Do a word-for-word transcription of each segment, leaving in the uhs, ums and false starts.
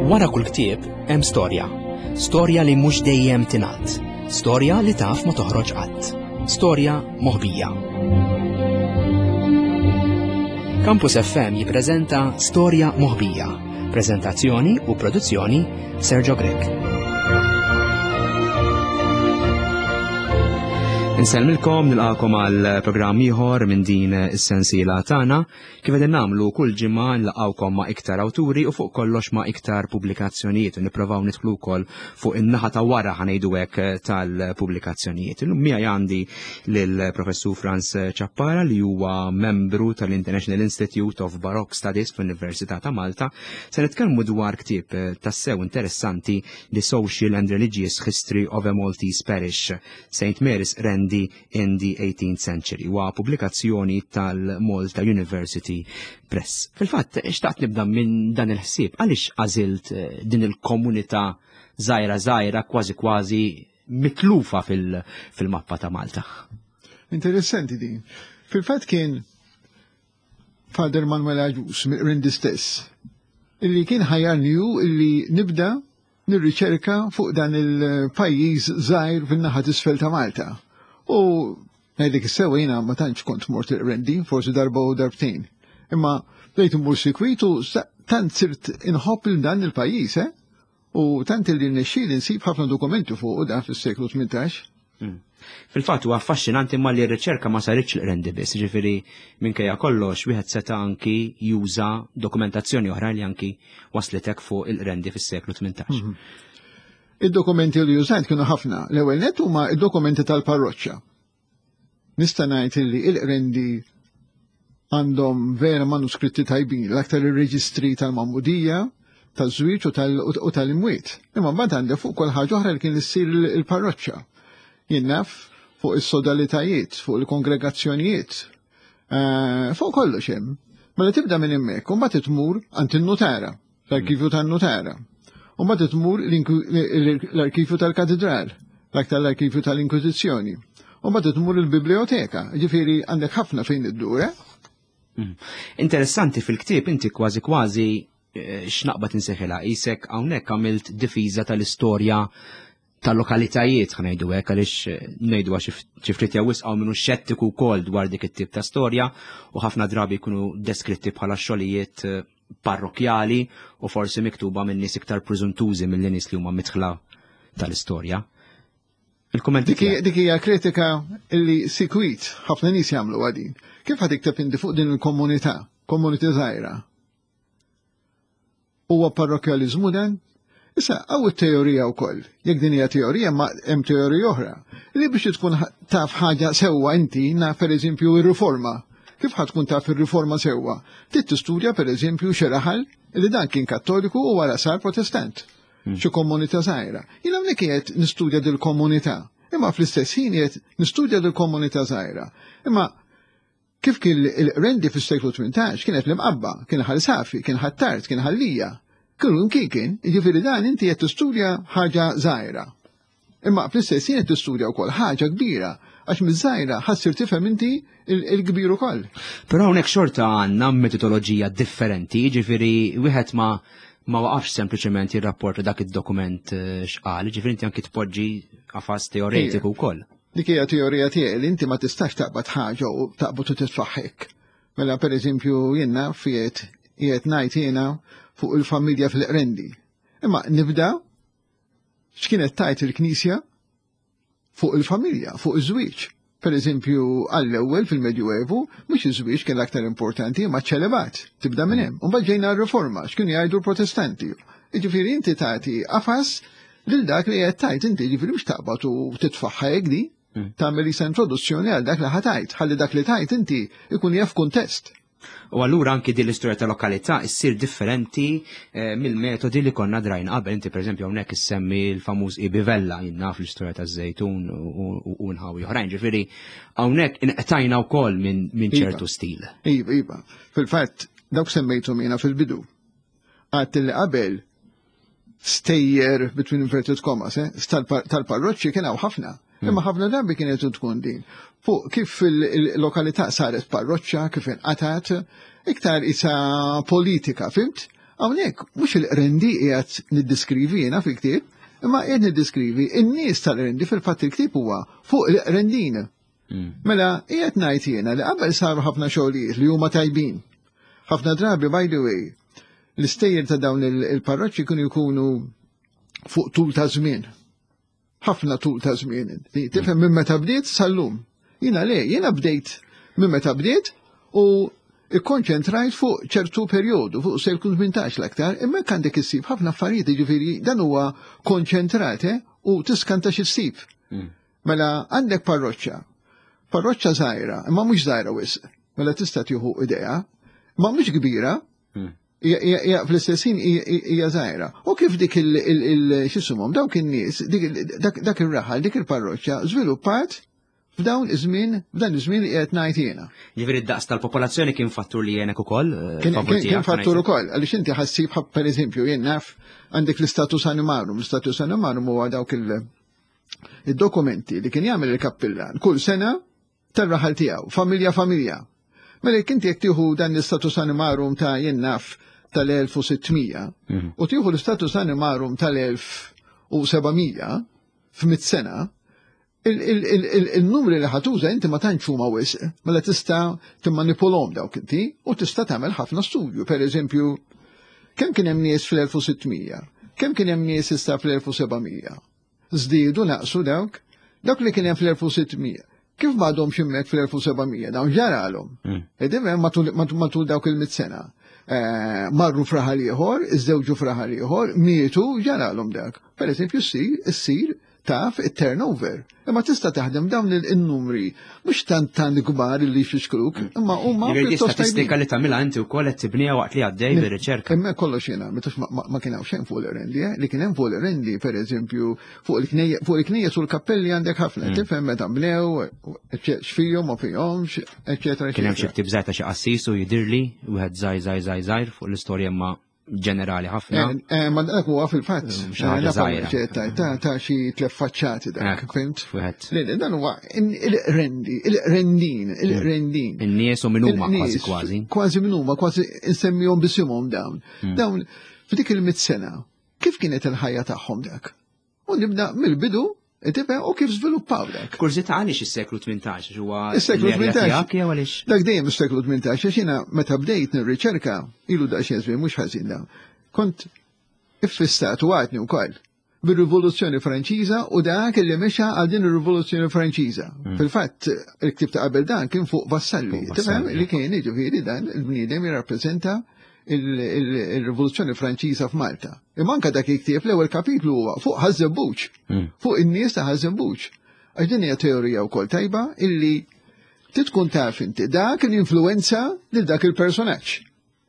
Wara kull ktieb hemm storja. Storja li mhux dejjem tingħad. Storja li taf ma toħroġ qatt. Storja moħbija. Campus F M jippreżenta Storja Moħbija. Prezentazzjoni u produzzjoni, Sergio Grech. Insellmilkom, nilqakom għal programm ieħor minn din is-sensiela tagħna. Kif qegħdin nagħmlu kull ġimgħa, nlaqgħukom ma' iktar awturi u fuq kollox ma' iktar pubblikazzjonijiet u nipprovaw nidħlu wkoll fuq in-naħa ta' wara, ħa ngħidu hekk, tal-pubblikazzjonijiet. Illum miegħi għandi lill-Professur Frans Ciappara, li huwa membru tal-International Institute of Baroque Studies fl-Università ta' Malta. Se nitkellmu dwar ktieb tassew interessanti, The Social and Religious History of a Maltese Parish, Saint Mary's Qrendi in the eighteenth Century, wa pubblikazzjoni tal-Malta University Press. Fil-fatt, xtaqt nibda minn dan il-ħsieb, għaliex għażilt eh, din il-komunità żgħira żgħira, kważi kważi mitlufa fil-mappa ta' Malta? Interessanti din. Fil-fatt kien Father Manuel Agius mill-Qrendi stess illi kien ħajjarni illi nibda nirriċerka fuq dan il-pajjiż żgħir fin-naħa t'isfel ta' Malta. U ngħidlek is-sewwa, jiena ma tantx kont mort il-Qrendi, forsi darba u darbtejn. Imma bdejt immur sikwitu, tant sirt inħobb il dan il-pajjiż, eh? U tant li nexxieli nsib ħafna dokumenti fuq dan fis-seklu tmintax. Hmm. Fil-fatt huwa affaxxinanti ma li r-riċerka ma saritx l-Qrendi biss, ġifieri minkejja kollox wieħed seta' anki juża dokumentazzjoni oħra li anki waslitek fuq il-Qrendi fis-seklu tmintax. Mhm. Id-dokumenti li użajt kienu ħafna. L-ewwel net huma id-dokumenti tal-parroċċa. Nista' ngħid li il-Qrendi għandhom vera manuskritti tajbin, l-aktar ir-reġistri tal-Magħmudija, taż-żwieġ u tal-imwiet. Imma mbagħad għandek fuq kull ħaġa oħra li kien issir il-parroċċa. Jien naf fuq is-sodalitajiet, fuq il-kongregazzjonijiet, eh, fuq kollox hemm. Mela tibda minn hemmhekk, u mbagħad tmur għand in-nutara, l-arkivju tan-nutara. U mbagħad tmur l-arkivju tal-katedral, l-aktar l-arkivju tal-Inkwiżizzjoni. U mbagħad tmur il-biblioteka, ġifieri għandek ħafna fejn iddur, eh? Mm. Interessanti, fil-ktieb inti kważi kważi eh, x'naqbad insejħilha, isek hawnhekk għamilt difiża tal-istorja tal-lokalitajiet, ħa ngħidu hekk, għaliex eh, ngħidu għax xi ftit jew wisq hawn minnu xettiku wkoll dwar dik it-tip ta' storja u ħafna drabi jkunu deskritti bħala xogħlijiet eh, parrokjali u forsi miktuba minn nies iktar preżuntużi mill nies li huma midħla tal-istorja. Il-kummenti? Dik hija kritika illi sikwit ħafna nies jagħmlu għadin. Kif ħa tikteb inti fuq din il-komunità, komunità żgħira? Huwa parrokjaliżmu dan? Issa, hawn it-teorija wkoll. Jekk din hija teorija, ma hemm teorija oħra. Li biex tkun taf ħaġa sewwa inti, naf, pereżempju, ir-riforma. Kif ħa tkun taf ir-riforma sewwa? Trid tistudja, pereżempju, xi raħal li dan kien Kattoliku u wara sar Protestant. Hmm. Xi komunità żgħira. Jien hawnhekk qiegħed nistudja dil-komunità. Imma fl-istess ħin qiegħed nistudja dil-komunità żgħira. Imma kif kien il-Qrendi fis-seklu tmintax, kienet l-Imqabba, kien Ħal Safi, kien Ħ'Attard, kien Ħal Lija. Kienu kien kien, jiġifieri dan inti qed tistudja ħaġa żgħira. Imma fl-istess ħin qed tistudja wkoll ħaġa kbira, għax miż-żgħira ħa ssir tifhem inti il-kbir ukoll. Però hawnhekk xorta għandna metodoloġija differenti, jiġifieri wieħed ma ma waqafx sempliċement jirrapporta dak id-dokument eh, x'qal, ġifieri inti anki tpoġġi qafas teoretiku wkoll. Dik hija teorija tiegħi li inti ma tistax taqbad ħaġa u taqbad u titfaħħek. Mela, pereżempju, jien naf qiegħed qiegħed ngħid jiena fuq il-familja fil-Qrendi. Imma nibda x'kienet tgħid il-Knisja fuq il-familja, fuq iż-żwieġ. Per eżempju, għall-ewwel fil-Medjuevu, mhux iż-żwieġ kien l-aktar importanti, ma ċelebat, tibda minn hemm. U mbagħad ġejna r-riforma, x'kienu jgħidu l-Protestanti. Jiġifieri inti tagħti qafas lil dak li qed tgħid inti, jiġifieri mhux taqbad u titfaħħa hekk di. Hmm. Tagħmel isa introduzzjoni għal dak li ħa tgħid, ħalli dak li tgħid inti ikun jaf kuntest. U allura anki din l-istorja ta' lokalità issir differenti eh, mill-metodi li konna drajna qabel. Inti, pereżempju, hawnhekk issemmi l-famuż Ibi Vella, jien naf, l-istorja ta' Żejtun u nħawi oħrajn. Ġifieri hawnhekk inqtajna wkoll minn iva. ċertu stil. Iva, iva. Fil-fatt dawk semmejtu jiena fil-bidu. Għedt li qabel stejjer, between inverted commas, eh, tal-parroċċi kien hawn ħafna. Hmm. Imma ħafna drabi kienet tkun din fuq kif il-lokalità saret parroċċa, kif inqatat, iktar isa politika, fhimt? Hawnhekk mhux il-Qrendi qiegħed niddiskrivi jiena fil-ktieb, imma qiegħed niddiskrivi in-nies tal-Qrendi. Fil-fatt il-ktieb huwa fuq il-Qrendin. Mm. Mela, qiegħed ngħid jiena li qabel saru ħafna xogħlijiet li huma tajbin. Ħafna drabi, by the way, l-istejjer ta' dawn il-parroċċi kienu jkunu fuq tul ta' żmien. Ħafna tul ta' żmien. Tifhem, minn meta bdiet sal-lum. Jiena le, jiena bdejt minn meta bdiet u ikkonċentrajt fuq ċertu perjodu, fuq seklu tmintax l-aktar, imma għandek issib ħafna affarijiet, ġifieri dan huwa konċentrat eh, u tiskanta x'issib. Mm. Mela għandek parroċċa, parroċċa żgħira, imma mhux żgħira wisq, mela tista' tieħu idea, ma mhux kbira, Mm. hija fl-istess ħin hija żgħira. U kif dik il x'isumhom dawk in-nies, dak ir-raħal, dik il-parroċċa żviluppat f'dawn iż-żmien, f'dan iż-żmien li qed ngħid jiena. Ġifieri d-daqs tal-popolazzjoni kien fattur li jenek ukoll? eh, Kien kien fattur ukoll, għaliex inti ħassib, pereżempju, jien naf għandek l-istatus animarum, l-istatus animarum huwa dawk il-dokumenti li kien jagħmel il-kappillan kull sena tar-raħal tiegħu, familja familja. Mela jekk inti jekk tieħu dan l-istatus animarum ta' jien naf tal-elf u sitt mija Mhm. u tieħu l-istatus animarum tal-elf u seba' mija f'mitt sena, il-numri li ħa tuża inti ma tantx huma wisq, mela tista' timmanipulhom dawk inti u tista' tagħmel ħafna studju. Per eżempju, kemm kien hemm nies fl-elf u sitt mija? Kemm kien hemm nies issa fl-elf u seba' mija? Żdiedu, naqsu dawk? Dawk li kien hemm fl-elf u sitt mija. Kif m'għadhomx hemmhekk fl-elf u seba' mija? Dawn ġaralhom. Mm. Edem matul matul dawk il-mitt sena. Eh, marru f'raħal ieħor, iżżewġu f'raħal ieħor, mietu, ġaralhom dak. Per eżempju, ssir, ssir taf it-turnover. Imma tista' taħdem dawn il-numri, mhux tant tant kbar li jfixkluk, imma huma Ġifieri di pjuttost statistika tajbin. li tagħmilha inti wkoll qed tibniha waqt li għaddej bir-riċerka. Imma kollox jiena, mitux ma, ma, ma kien hawn xejn fuq l-Qrendi, eh? Li kien hemm fuq l-Qrendi, per eżempju, fuq il-knejjes fuq il-knejjes u l-kappelli għandek ħafna, tifhem meta bnew, x'fihom ma fihomx, eċetera, Kien hemm xi eċetera. ktieb żgħir ta' xi qassis u jidirli wieħed żgħir żgħir żgħir żgħir fuq l-istorja imma ġenerali ħafna. Eh, eh, Ma dak huwa fil-fatt. Xi ħaġa eh, żgħira. ċetta, Ta' ta' xi tliet faċċati dak, Ekku, fhimt? Wieħed. Le, le, dan huwa il-Qrendi, il-Qrendin, il-Qrendin. In-nies u min huma kważi Il-nies, kważi. Kważi min huma, kważi insemmihom bisimhom dawn. Hmm. Dawn, f'dik il-mitt sena, kif kienet il-ħajja tagħhom dak? U nibda mill-bidu, tifhem, u kif żviluppaw dak. Kurżità, għaliex is-seklu tmintax huwa Is-seklu l-erja tmintax. tiegħek jew għaliex? Dak dejjem is-seklu tmintax, għax jiena meta bdejt nirriċerka, ilu daqsxejn żmien mhux ħażin dawn. Kont iffissat u għadni wkoll bir-Rivoluzzjoni Franċiża u dak li mexa għal din ir-Rivoluzzjoni Franċiża. Fil-fatt, il-ktieb ta' qabel dan kien fuq Vassalli, Fuq tifhem, Vassalli. li kien jiġifieri dan il-bniedem jirrappreżenta il-Rivoluzzjoni Franċiża f'Malta. Imma anka dak il-ktieb, l-ewwel kapitlu huwa fuq Ħaż-Żebbuġ, Mm. fuq in-nies ta' Ħaż-Żebbuġ. Għax din hija teorija wkoll tajba illi titkun taf inti dak l-influenza lil dak il-personaġġ.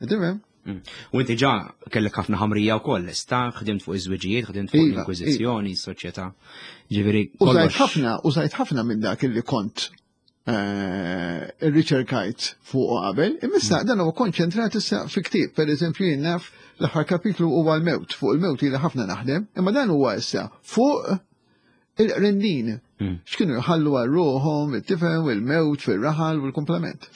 Tifhem? Mm. U inti ġa kellek ħafna ħamrija wkoll, sta ħdimt fuq iż-żwiġijiet, ħdimt fuq Iva, l-Inkwiżizzjoni, s-soċjetà. Ġifieri Użajt kollox. ħafna, użajt ħafna minn dak illi kont eh, irriċerkajt fuq qabel, imma issa dan huwa konċentrat issa fi ktieb. Per eżempju, jien naf l-aħħar kapitlu huwa l-mewt, fuq il-mewt ili ħafna naħdem, imma dan huwa issa fuq il-Qrendin. Mm. X'kienu jħallu għal ruħhom, tifhem, il-mewt fir-raħal u l-komplement.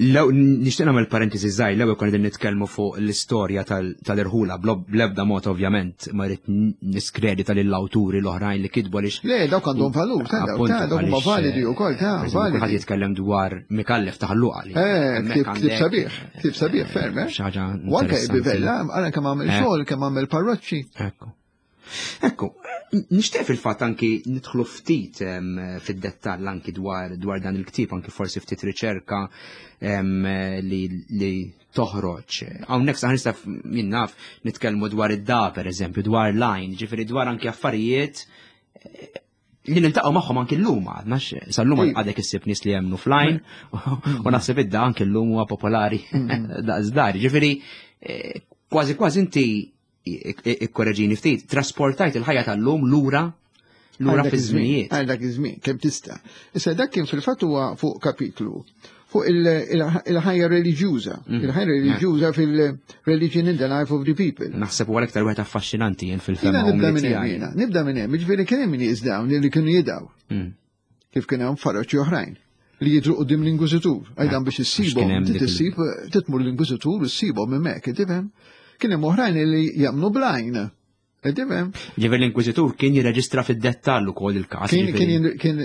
Lew nixtieq nagħmel parentesi żgħir, l-ewwel konna qegħdin nitkellmu fuq l-istorja tal- tal-irħula, blo- bl-ebda mod ovvjament ma rrid niskredita lill-awturi l-oħrajn li kitbu għaliex Le, dawk għandhom valur, ta' dawk, Appuntu, ta' dawk huma għaliex, validi wkoll, ta' per eżempju, kulħadd validi. jitkellem dwar Micallef ta' Ħal Luqa li Eh, hemmhekk ktieb ktieb għandek, sabiħ, ktieb sabiħ ferm, eh? xi ħaġa U anke interessanti. bivella, għara kemm għamel Eh. xogħol, kemm għamel parroċċi. Ekku. Ekku, nixtieq fil-fatt anki nidħlu ftit em, fid-dettall anki dwar dwar dan il-ktieb, anki forsi ftit riċerka em, li, li toħroġ. Hawnhekk saħ nista' jien naf nitkellmu dwar id-da, per eżempju, dwar line, ġifieri dwar anki affarijiet eh, li niltaqgħu magħhom anki llum għadna sal-lum Iva. għadek issib nies li jemmnu fl-għajn u naħseb id-da anki llum huwa popolari daqs dari. Ġifieri eh, kważi kważi inti ikkoreġini ftit, trasportajt il-ħajja tal-lum lura lura Għal dak fi iż-żmien, żminijiet. Għal dak iż-żmien, kemm tista'. Issa dak kien fil-fatt huwa fuq kapitlu fuq il- il- il-ħajja reliġjuża, Mhm. il-ħajja reliġjuża fil-religion in the life of the people. Naħseb huwa l-iktar wieħed affaxxinanti jien Jiena fil-fema nibda umli minn hemm tiegħi. jiena, nibda minn hemm, jiġifieri kien hemm nies dawn li kienu jidgħu, Mm. kif kien hemm parroċċi oħrajn li jidru quddiem l-Inkwiżitur. Għajdan biex kien issibhom, hemm dik il- issib titmur l-Inkwiżitur u ssibhom hemmhekk, tifhem? Kien hemm oħrajn li jemmnu bl-għajn. Tifhem? Ġifieri l-Inkwiżitur kien jirreġistra fid-dettall ukoll il-każ. Kien kien kien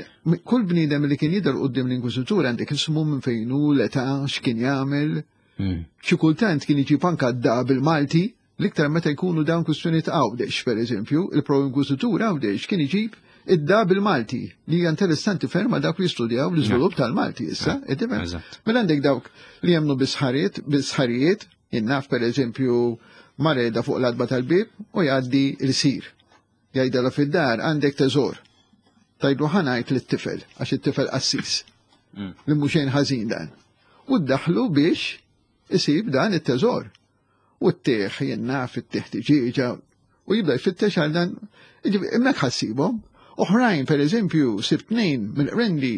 kull bniedem li kien jidher quddiem l-Inkwiżitur għandek ismu minn fejn hu, l-età, x'kien jagħmel. Hmm. Xi kultant kien iġib anka d bil-Malti, l-iktar meta jkunu dawn kwistjonijiet Għawdex, pereżempju, il-pro-inkwiżitur Għawdex kien iġib id-da bil-Malti, li hija interessanti ferm għal dawk li jistudjaw l-iżvilupp tal-Malti issa, tifhem? Mela għandek dawk li jemmnu bis-sħariet, bis-sħarijiet, jien naf pereżempju mareda fuq l-adba tal-bib u jgħaddi l-sir. Jgħidala fid-dar għandek teżor. Tgħidlu ħa ngħid lit-tifel, għax it-tifel qassis. Mm. Li mhux xejn ħażin dan. U ddaħlu biex isib dan it-teżor. U t-tieħ jien naf it-tieħ tiġiġa u jibda jfittex għal dan. Hemmhekk ħassibhom. Oħrajn, per eżempju, sibt tnejn mill-Qrendi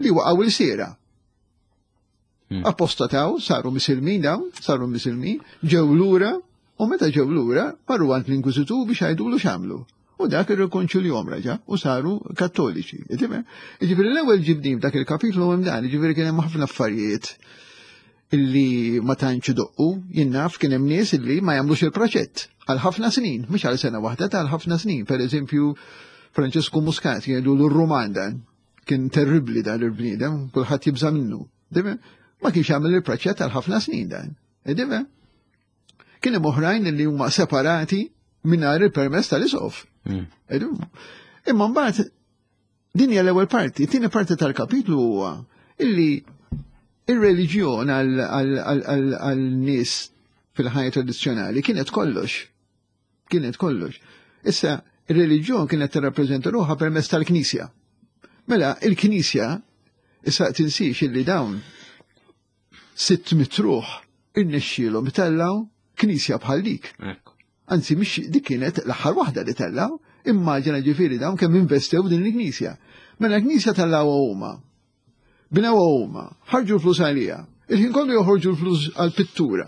li waqgħu l-siera. Hmm. Apostataw, saru misilmin dawn, saru misilmin, ġew lura, u meta ġew lura, marru għand l-Inkwiżitur biex jgħidulu x'għamlu. U dak irrikonċiljahom raġa' u saru kattoliċi. Ġifieri l-ewwel ġibni f'dak il-kapitlu hemm dan, ġifieri kien hemm ħafna affarijiet illi ma tantx idoqqu, jien naf kien hemm nies illi ma jagħmlux il-proċett għal ħafna snin, mhux għal sena waħda, ta' għal ħafna snin. Per eżempju, Francesco Muscat jgħidu l-Ruman dan, kien terribli dan il-bniedem, kulħadd jibża' minnu. Ma kienx jagħmel il-proċett għal ħafna snin dan. Tifhem? Kien hemm oħrajn li huma separati mingħajr il-permess tal-isqof. Mm. Imma mbagħad din hija l-ewwel parti, it-tieni parti tal-kapitlu huwa illi ir-reliġjon għal-nies fil-ħajja tradizzjonali kienet kollox. Kienet kollox. Issa, ir-reliġjon kienet tirrappreżenta ruħha permezz tal-Knisja. Mela, il-Knisja, issa tinsiex illi dawn sitt mitt ruħ irnexxielhom itellaw knisja bħal dik. Anzi, mhix dik kienet l-aħħar waħda li tellaw, immaġina ġifieri dawn kemm investew din il-knisja. Mela l-knisja tellaw huma. Bnew huma, ħarġu l-flus għalija. Il-ħin kollu joħorġu l-flus għal-pittura.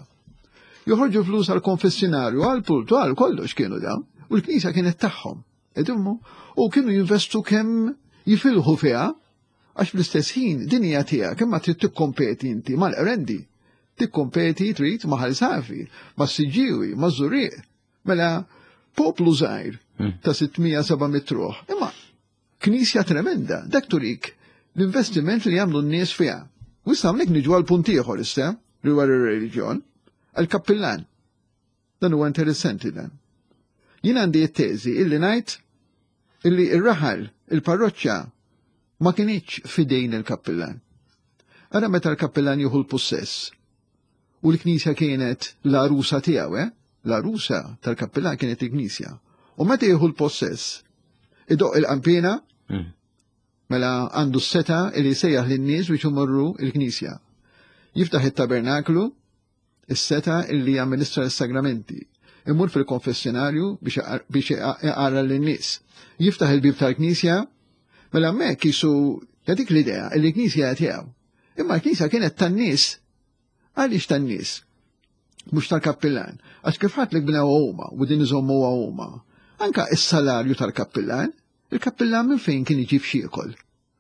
Joħorġu flus għal-konfessinarju, għal-pultu, għal kollox kienu dawn. U l-knisja kienet tagħhom. Edummu, u kienu jinvestu kemm jifilħu fiha, għax fl-istess ħin din hija tiegħek, imma trid tikkompeti inti mal-Qrendi. Tikkompeti trid ma' Ħal Safi, ma' Siġġiewi, ma' Żurrieq. Mela poplu żgħir ta' sitt mija seba' mitt ruħ. Imma knisja tremenda, dak turik l-investiment li jagħmlu n-nies fiha. U issa hawnhekk niġu għal punt ieħor issa rigward ir-reliġjon, għall-kappillan. Dan huwa interessanti dan. Jien għandi t-teżi illi ngħid illi ir-raħal, il-parroċċa ma kinitx fidejn il-kappillan. Ara meta l-kappillan jieħu l-possess u l-knisja kienet l-arusa tiegħu, eh? L-arusa tal-kappillan kienet il-knisja. U meta jieħu l-possess, idoq il-qampina, mm. mela għandu s-seta li jsejjaħ lin-nies biex imorru il-knisja. Jiftaħ it-tabernaklu, is-seta illi jamministra l-sagramenti. Imur fil-konfessionarju biex iqarra lin-nies. Jiftaħ il-bib tal-knisja, mela hemmhekk jisu dik l-idea li l-knisja tiegħu. Imma l-knisja kienet tan-nies. Għaliex tan-nies? Mhux tal-kappillan. Għax kif ħadd li bnew huma u din iżommu huma. Anka is-salarju tal-kappillan, il-kappillan minn fejn kien iġib x'jiekol?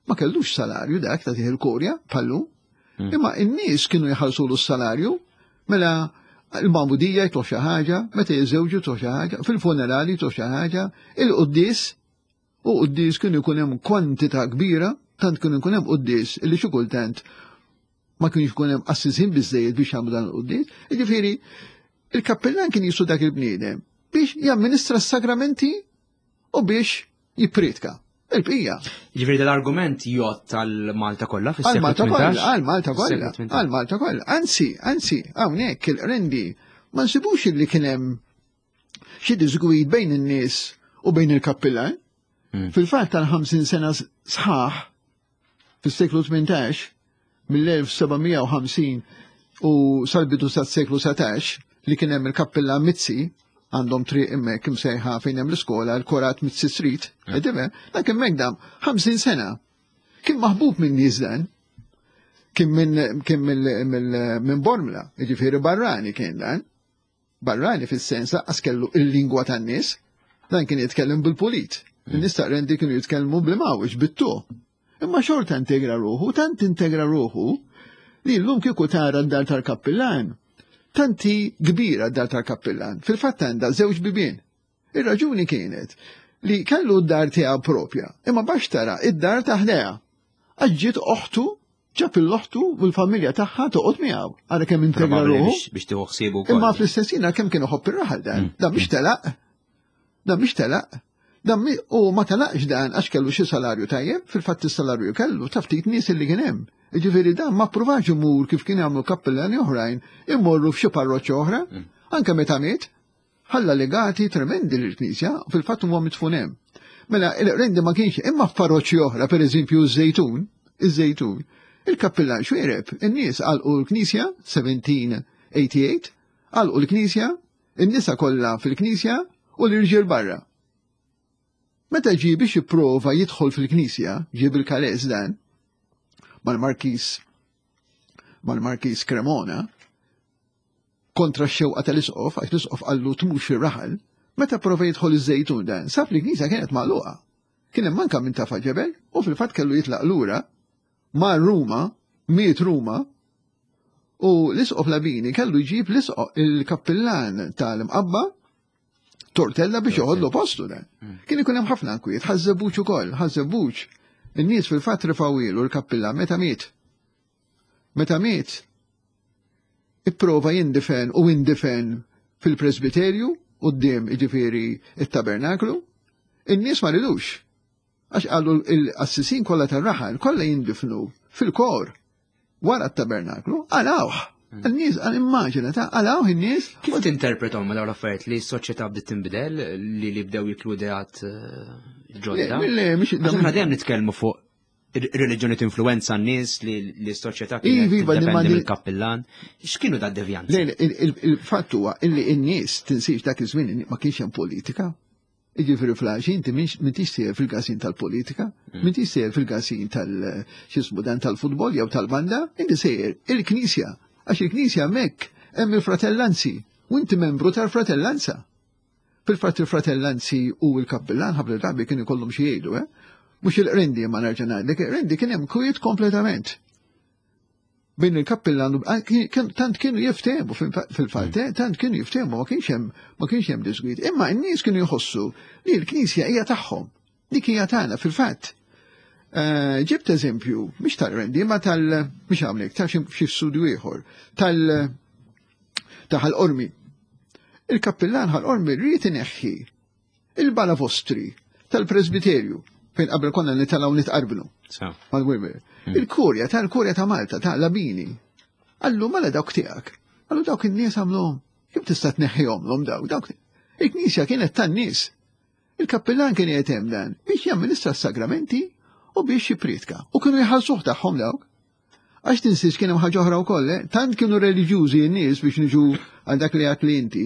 Ma kellux salarju dak ta' il-kurja pallu. Hmm. Imma in-nies kienu jħallsulu s-salarju, mela il-magħmudija jtuh xi ħaġa, meta jiżżewġu jtuh xi ħaġa, fil-funerali jtuh xi ħaġa, il-quddies, u quddies kienu jkun hemm kwantità kbira, tant kienu jkun hemm quddies illi xi kultant ma kienx ikun hemm qassisin biżejjed biex jagħmlu dan il-quddies. Jiġifieri, il-kappellan kien jisu dak il-bniedem biex jamministra s-sagramenti u biex jippriedka. Il-bqija. Ġifieri dal-argument jgħodd tal-Malta kollha fis-seklu Għal-Malta kollha, tmintax? għal-Malta kollha, Fis-seklu tmintax. għal-Malta kollha. Anzi, anzi, hawnhekk il-Qrendi ma nsibux illi kien hemm xi disgwid bejn in-nies u bejn il-kappillan. Hmm. Fil-fatt tal-ħamsin sena sħaħ fis-seklu tmintax, mill-elf seba' mija u ħamsin u sal-bidu tas-seklu satax, li kien hemm il-kappillan Mizzi, għandhom triq hemmhekk imsejħa fejn hemm l-iskola, l-Korat Mizzi Street, edime, dak hemmhekk dam ħamsin sena. Kien maħbub minn nies dan, kien minn kien mill- minn Bormla, jiġifieri barrani kien dan. Barrani fis-sens lanqas kellu il-lingwa tan-nies, dan kien jitkellem bil-pulit. In-nies ta' Qrendi kienu jitkellmu bil-mawġ, bit-tu. Imma xorta integra ruħu, tant integra ruħu, li l-lum kieku tara d-dar tal-kappillan, Tanti kbira d-dar tal-kappillan. Fil-fatt għandha żewġ bibien. Ir-raġuni kienet li kellu d-dar tiegħu propja, imma bax tara id-dar ta' ħdejha. Għax ġiet oħtu, ġab l-oħtu u l-familja tagħha toqgħod miegħu. Ara kemm integra ruħu. Biex tieħu ħsiebu wkoll. Imma fl-istess ħin kemm kien iħobb ir-raħal dan. Dan biex telaq. Dan biex telaq. Dan u ma telaqx dan għax kellu xi salarju tajjeb, fil-fatt is-salarju kellu ta' ftit nies li kien hemm. Jiġifieri dan ma ppruvax imur kif kien jagħmlu kappellani oħrajn imorru f'xi parroċċa oħra, anke meta miet, ħalla legati tremendi lill-Knisja, fil-fatt huwa midfun hemm. Mela il-Qrendi ma kienx, imma f'parroċċi oħra, pereżempju ż-Żejtun, iż-Żejtun, il-kappillan Xuereb, in-nies għalqu l-Knisja seventeen eighty-eight, għalqu l-Knisja, in-nisa kollha fil-Knisja u l-irġiel barra. Meta ġie biex jipprova jidħol fil-Knisja, ġie bil-kalez dan, mal-Markis, mal-Markis Cremona, kontra x-xewqa tal-isqof, għax l-isqof qallu tmux ir-raħal, meta prova jidħol iż-Żejtun dan, sab li l-Knisja kienet magħluqa. Kien hemm manka minn tafa ġebel u fil-fatt kellu jitlaq lura ma' Ruma, miet Ruma, u l-isqof Labini kellu jġib l-isqof il-kappillan tal-Imqabba Tortella biex joħodlu postu dan. Kien ikun hemm ħafna nkwiet, Ħaż-Żebbuġ ukoll, Ħaż-Żebbuġ. In-nies fil-fatt rifawilu l-kappillan meta miet. Meta miet, ipprova jindifen u indifen fil-presbiterju quddiem jiġifieri it-tabernaklu, in-nies ma ridux. Għax qalu l-qassisin kollha tar-raħal kollha jindifnu fil-kor wara t-tabernaklu, għalawh. In-nies għal immaġina ta' għalawh in-nies. Kif tinterpretom ma dawn l-affarijiet li s-soċjetà bdiet tinbidel li li bdew jitlu ideat ġodda? Le, mhix Aħna dejjem nitkellmu fuq reliġjoni tinfluwenza n-nies li s-soċjetà kienet tiddependi mill-kappillan. X'kienu da devjanzi? Le, il-fatt huwa illi n-nies tinsiex dak iż-żmien ma kienx hemm politika. Jiġifieri fl-għaxi inti m'intix sejjer fil-każin tal-politika, m'intix sejjer fil-każin tal-x'ismu dan tal-futbol jew tal-banda, inti sejjer il-Knisja. Għax il-Knisja hemmhekk hemm il-fratellanzi u inti membru tal-fratellanza. Fil-fatt il-fratellanzi u l-kappillan ħafna drabi kienu jkollhom xi jgħidu, eh? Mhux il-Qrendi ma nerġa' ngħidlek, il-Qrendi kien hemm kwiet kompletament. Bejn il-kappillan u tant kienu jiftehmu fil-fatt, tant kienu jiftehmu, ma kienx hemm ma kienx hemm disgwid. Imma n-nies kienu jħossu li l-Knisja hija tagħhom, dik hija tagħna fil-fatt. Ġibt eżempju, mhix tal-Qrendi, ma tal mhix hawnhekk, ta' xi studju ieħor, tal ta' Ħal Qormi. Il-kappillan Ħal Qormi rrid ineħħi il-balavostri tal-presbiterju fejn qabel konna nitalgħu nitqarbnu. Mal-Wilmer. Il-kurja tal-kurja ta' Malta ta' Labini. Allu mela dawk tiegħek. Allu dawk in-nies għamluhom. Kif tista' tneħħihomlhom dawk? Dawk il-Knisja kienet tan-nies. Il-kappillan kien qiegħed hemm dan biex jamministra s-sagramenti u biex jippriedka. U kienu jħallsuh tagħhom dawk. Għax tinsiex kien hemm ħaġa oħra wkoll, eh? Tant kienu reliġjużi n-nies biex niġu għal dak li għad li inti,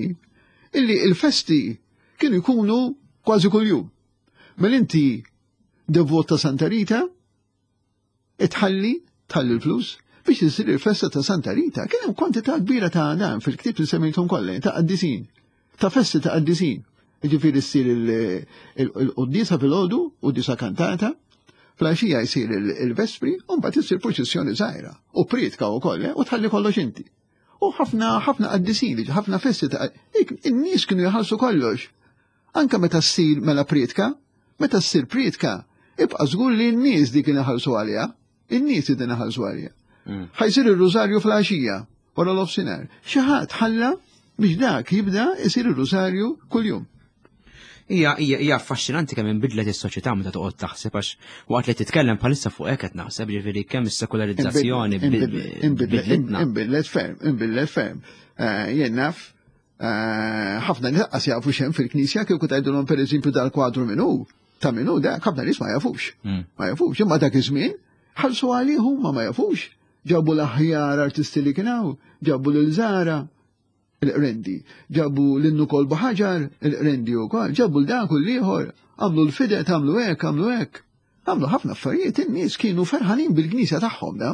illi il-festi kienu jkunu kważi kuljum. Mela inti devot ta' Santa Rita, itħalli, tħalli l-flus, biex isir il-festa ta' Santa Rita. Kien hemm kwantità kbira ta' dan fil-ktieb li semmejthom kollha, ta' qaddisin, ta' festi ta' qaddisin. Jiġifieri ssir il-quddiesa filgħodu, quddiesa kantata, fl-għaxija jsir il-vespri, u mbagħad issir purċissjoni żgħira u prietka wkoll, u tħalli kollox inti. U ħafna ħafna qaddisin, ħafna festi ta' in-nies kienu jħallsu kollox. Anka meta ssir mela prietka, meta ssir prietka, ibqa' żgur li n-nies dik kien iħallsu għaliha, in-nies din iħallsu għaliha. Ħajsir ir-rużarju fl-għaxija wara l-offsinar. Xi ħadd ħalla biex dak jibda jsir ir-rużarju kuljum. Hija hija affaxxinanti kemm inbidlet is-soċjetà meta toqgħod taħseb għax waqt li titkellem bħalissa fuq hekk qed naħseb ġifieri kemm is-sekolarizzazzjoni bidlitna. Inbidlet ferm, inbidlet ferm. Jien naf ħafna nies qas jafu x'hemm fil-Knisja kieku tgħidulhom pereżempju dal-kwadru min hu, ta' min hu dak ħafna nies ma jafux. Ma jafux, imma dak iż-żmien ħallsu għalih huma ma jafux. Ġabu l-aħjar artisti li kien hawn, ġabu lil Zara, il-Qrendi, ġabu l-Nukol Ħaġar, il-Qrendi wkoll, ġabu l-dak u l-ieħor, għamlu l-fidet, għamlu hekk, għamlu hekk. Għamlu ħafna affarijiet, in-nies kienu ferħanin bil-Knisja tagħhom da,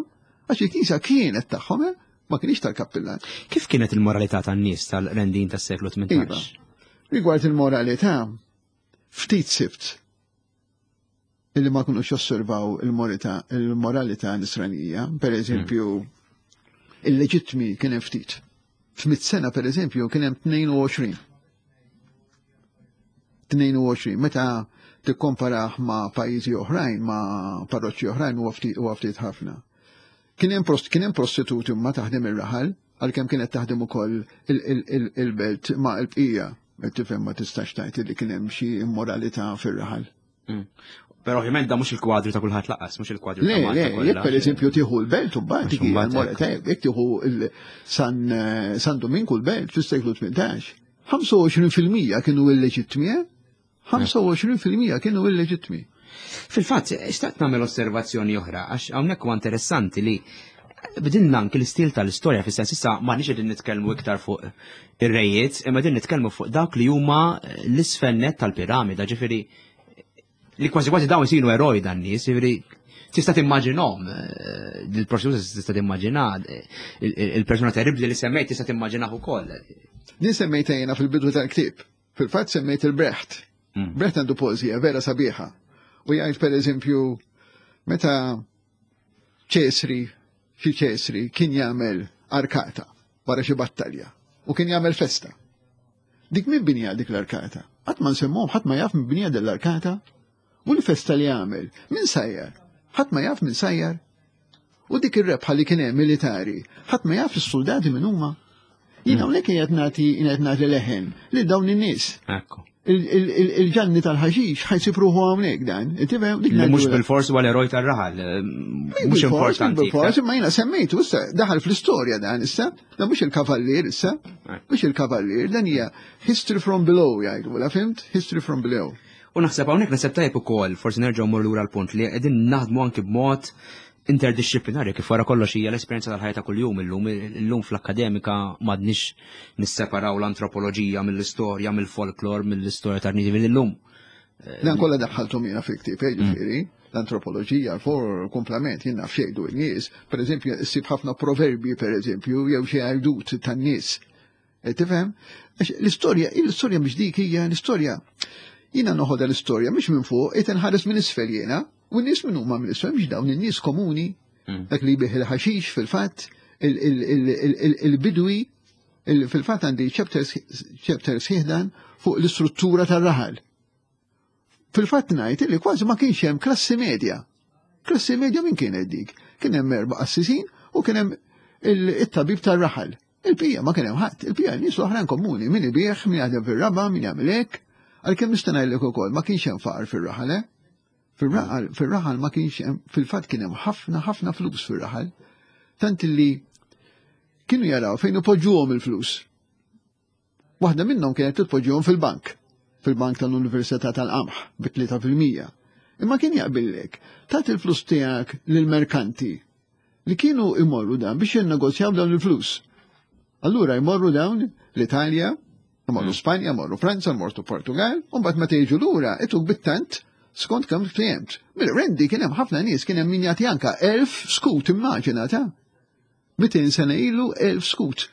għax il-Knisja kienet tagħhom, ma kienx tal-kappillan. Kif kienet il-moralità tan-nies tal-Qrendin tas-seklu tmintax? Rigward il-moralità, ftit sibt illi ma kinux josservaw il-moralità nisranija, per eżempju, il-leġittmi kien hemm ftit. F'mitt sena, per eżempju, kien hemm tnejn u għoxrin. tnejn u għoxrin, meta tikkomparah ma' pajjiżi oħrajn, ma' parroċċi oħrajn, huwa ftit huwa ftit ħafna. Kien hemm prost, kien hemm prostituti ma taħdem ir-raħal, għalkemm kienet taħdem ukoll il-belt ma' l-bqija. Tifhem, ma tistax tgħid li kien hemm xi immoralità fir-raħal. Mm. Però ovvjament da mhux il-kwadru ta' kulħadd laqas, mhux il-kwadru ta' Le, le, jekk per eżempju tieħu l-belt u mbagħad jekk tieħu San San Dominku l-belt fis-seklu tmintax, ħamsa u għoxrin fil-mija kienu illeġittmi, eh? ħamsa u għoxrin fil-mija kienu illeġittmi. Fil-fatt, xtaqt nagħmel osservazzjoni oħra, għax hawnhekk huwa interessanti li bidilna anki l-istil tal-istorja, fis-sens issa ma nix qegħdin nitkellmu iktar fuq ir-rejiet, imma qegħdin nitkellmu fuq dawk li huma l-isfel net tal-piramida, ġifieri li kważi kważi dawn isiru eroj dan nies, ġifieri tista' timmaġinhom, eh, il-prostituta tista' timmaġina, il-persuna terribli li semmejt tista' timmaġinah ukoll. Din semmejta jiena fil-bidu tal-ktieb. Fil-fatt semmejt il-Brecht. Mm. Brecht għandu poeżija vera sabiħa. U jgħid, per eżempju, meta Ċesri, xi Ċesri kien jagħmel arkata wara xi battalja u kien jagħmel festa. Dik min binja dik l-arkata? Qatt ma nsemmuhom, ħadd ma jaf min binja l-arkata. U l-festa li jagħmel, min sajjar? Ħadd ma jaf min sajjar. U dik ir-rebħa li kien hemm militari, ħadd ma jaf is-soldati min huma. Jien hawnhekk qiegħed nagħti qiegħed nagħti leħen lil dawn in-nies. Ekku. Il-ġanni tal-ħaxix ħa jsib ruħu hawnhekk dan. Tifhem? Li mhux bil-fors huwa l-eroj tar-raħal, mhux importanti. Bil-fors, imma jiena semmejtu issa daħal fl-istorja dan issa, dan mhux il-kavallier issa, mhux il-kavallier, dan hija history from below jgħidu, la fhimt? History from below. U naħseb hawnhekk naħseb tajjeb ukoll, forsi nerġgħu mmur lura l-punt li qegħdin naħdmu anki b'mod interdisciplinarju, kif wara kollox hija l-esperjenza tal-ħajja ta' kuljum illum. Illum fl-akkademika m'għadniex nisseparaw l-antropoloġija mill-istorja, mill-folklor, mill-istorja tar-nies illum. Dan kollha daħħalthom jiena fil-ktieb, eh, ġifieri, l-antropoloġija, l-for komplement, jien naf xejdu n-nies, per eżempju, issib ħafna proverbi, per eżempju, jew xi għajdut tan-nies. E, tifhem? Għax l-istorja, l-istorja mhix dik hija l-istorja. Jiena noħodha l-istorja mhix minn fuq, qed inħares minn isfel jiena, u n-nies minn huma minn isfel, mhix dawn in-nies komuni, dak li jbigħ il-ħaxix fil-fatt, il-bidwi, fil-fatt għandi chapter sħiħ dan fuq l-istruttura tar-raħal. Fil-fatt ngħid li kważi ma kienx hemm klassi medja. Klassi medja min kienet dik? Kien hemm erba' qassisin u kien hemm it-tabib tar-raħal. Il-bqija ma kien hemm ħadd, il-bqija nies oħrajn komuni, min ibigħ, min jaħdem fir-raba, min jagħmel hekk. Għalkemm nista' ngħidlek ukoll ma kienx hemm faqar fir-raħal, eh? Fir-raħal, fir-raħal ma kienx hemm, fil-fatt kien hemm ħafna ħafna flus fir-raħal. Tant li kienu jaraw fejn ipoġġuhom il-flus. Waħda minnhom kienet titpoġġuhom fil-bank, fil-bank tal-Università tal-Qamħ bi tlieta fil-mija. Imma kien jaqbillek, tagħti il-flus tiegħek lill-merkanti li kienu imorru dan biex jinnegozjaw dawn il-flus. Allura jmorru dawn l-Italja, jmorru Spanja, jmorru Franza, jmorru Portugal, u mbagħad meta jiġu lura ituk bit-tant skont kemm ftehmt. Bil-rendi kien hemm ħafna nies, kien hemm min jagħti anka elf skut, immaġina ta' mitejn sena ilu, elf skut.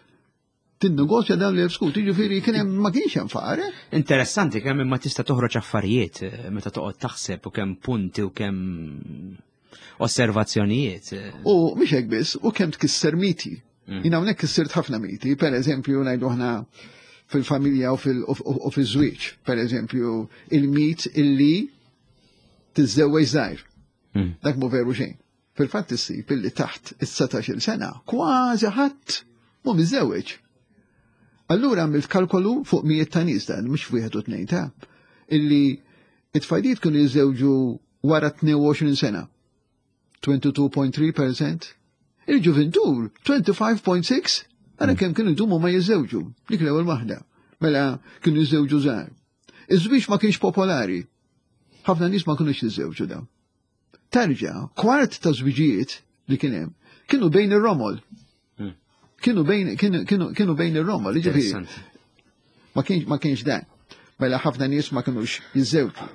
Tinnegozja dawn l-elf skut, jiġifieri kien hemm, ma kienx hemm faqar. eh? Interessanti kemm imma tista' toħroġ affarijiet eh, meta toqgħod taħseb u kemm punti u kemm osservazzjonijiet. eh. U mhix hekk biss, u kemm tkisser miti. Jien hawnhekk kissirt ħafna miti, per eżempju ngħidu aħna fil-familja u fil- u fil-żwieġ, per eżempju, il-mit illi tiżżewweġ żgħir. Mm. Dak mhu veru xejn. Fil-fatt issib illi taħt is-satax-il sena kważi ħadd mhu miżżewweġ. Allura għamilt kalkolu fuq mijiet ta' nies dan, mhux wieħed u tnejn ta' illi it-tfajliet kienu jiżżewġu wara tnejn u għoxrin sena. tnejn u għoxrin punt tlieta fil-mija. Il-ġuvintur ħamsa u għoxrin punt sitta, għara kemm kienu jdumu ma jiżżewġu, dik l-ewwel waħda. Mela kienu jiżżewġu żgħar. Iż-żwieġ ma kienx popolari. Ħafna nies ma kinux jiżżewġu dawn. Terġa', kwart ta' żwiġijiet li kien hemm kienu bejn ir-romol. Mm. Kienu bejn kienu kienu kienu bejn ir-romol, jiġifieri Interessanti. ma kienx ma kienx dan. Mela ħafna nies ma kinux jiżżewġu.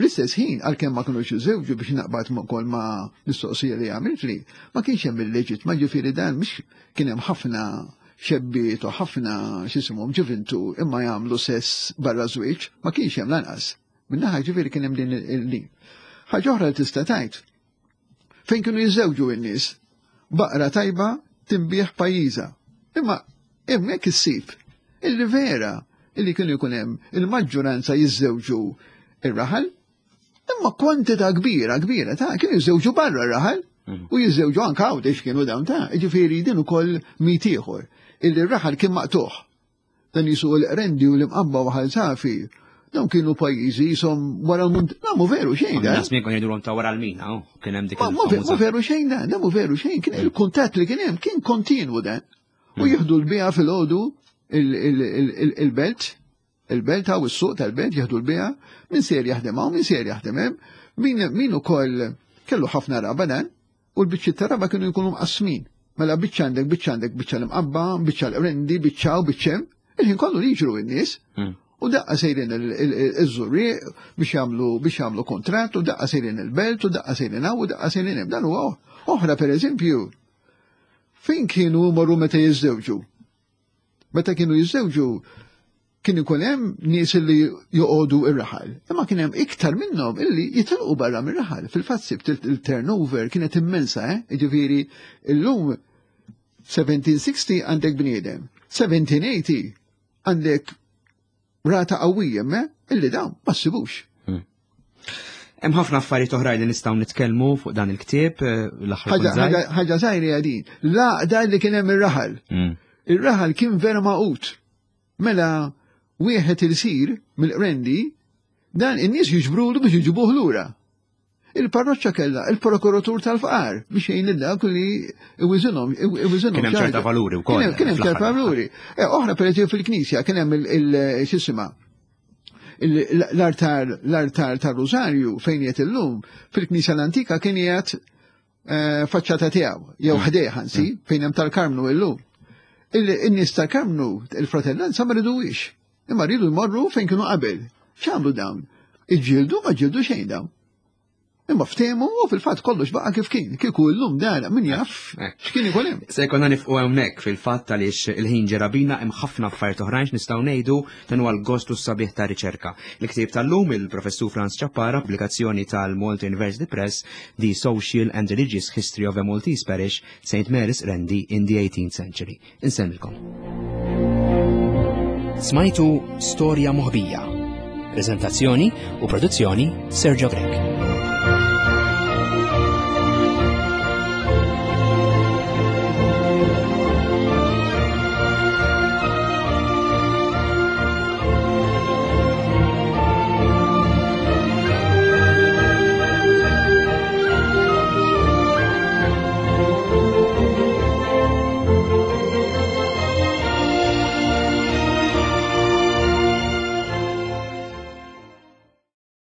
Fl-istess ħin, għalkemm ma kinux jiżżewġu, biex naqbad ma kol ma mistoqsija li għamilt li, ma kienx hemm il-leġit, ma ġifieri dan mhix kien hemm ħafna xebbiet u ħafna x'isimhom ġuvintu imma jagħmlu sess barra żwieġ, ma kienx hemm lanqas. Minnaħa ġifieri kien hemm din il-din. Ħaġa oħra li tista' tgħid. Fejn kienu jiżżewġu n-nies? Baqra tajba tinbiegħ pajjiżha. Imma Hemmhekk issib illi vera illi kienu jkun hemm il-maġġoranza jiżżewġu ir-raħal, imma kwantità kbira, kbira ta' kienu jiżżewġu barra r-raħal mm. u jiżżewġu anke Għawdex kienu dawn ta' ġifieri din ukoll mit ieħor illi r-raħal kien maqtuħ. Dan jisu l-Qrendi u l-Imqabba u Ħal Safi, dawn kienu pajjiżi jisom wara l-munt. Na, mu veru xejn da. Nas minn jgħidulhom ta' wara l-mina, oh, kien hemm dik. Ma veru xejn da, da mu veru xejn, kien il-kuntatt li kien hemm kien kontinwu dan. U mm. jieħdu l-bija fil-ħodu il-belt, il-belt għaw is-suq tal-belt jieħdu l-bija, min ser jaħdem hawn, min ser jaħdem hemm, min min ukoll kellu ħafna raba dan, u l-biċċi ta' raba kienu jkunu mqasmin. Mela biċċa għandek, biċċa għandek, biċċa l-Imqabba, biċċa l-Qrendi, biċċa u biċċa hemm. Il-ħin kollu li jiġru n-nies. Mm. U daqqa sejrin iż-Żurrieq biex jagħmlu biex jagħmlu kontratt, u daqqa sejrin il-belt, u daqqa sejrin hawn, u daqqa sejrin hemm. Dan huwa oħra pereżempju fejn kienu marru meta jiżżewġu. Meta kienu jiżżewġu kien ikun hemm nies li joqogħdu ir-raħal. Imma kien hemm iktar minnhom illi jitilqu barra mir-raħal. Fil-fatt sibt il-turnover kienet immensa, eh? Jiġifieri illum seventeen sixty għandek bniedem, seventeen eighty għandek rata qawwija me illi dawn ma ssibux. Hmm. Hemm ħafna affarijiet oħrajn li nistgħu nitkellmu fuq dan il-ktieb eh, l-aħħar. Ħaġa żgħira din. La li kien hemm ir-raħal. Hmm. Ir-raħal kien vera magħqud. Mela wieħed il-sir mill-Qrendi dan in-nies jiġbrulu biex jiġibuh lura. Il-parroċċa kellha il-prokuratur tal-fqar biex jgħin dak li iwiżinhom iwiżinhom. Kien hemm ċerta valuri wkoll. Kien hemm ċerta valuri. Eh, oħra pereżempju fil-knisja kien hemm il-x'isima l-artar l-artar tar-Rużarju fejn qiegħed illum fil-knisja l-antika kien qiegħed eh, faċċata tiegħu jew mm. ħdejh anzi mm. fejn hemm tal-Karmnu illum. In-nies tal-Karmnu il-fratellanza ma riduwix. Imma rridu jmorru fejn kienu qabel. X'għamlu dawn? Iġġieldu? Ma ġildu xejn dawn. Imma ftehmu u fil-fatt kollox baqa' kif kien. Kieku llum dan min jaf eh. x'kien ikun hemm. Se jkollna nifqu hawnhekk fil-fatt għaliex il-ħin ġerabina, hemm ħafna affarijiet oħrajn nistgħu ngħidu, dan huwa l-gost u s-sabiħ ta' riċerka. Il-ktieb tal-lum, il-Professur Frans Ciappara, pubblikazzjoni tal-Malta University Press, The Social and Religious History of a Maltese Parish, Saint Mary's Qrendi in the eighteenth Century. Insemmilkom. Smajtu Storja Moħbija. Prezentazzjoni u produzzjoni Sergio Grech.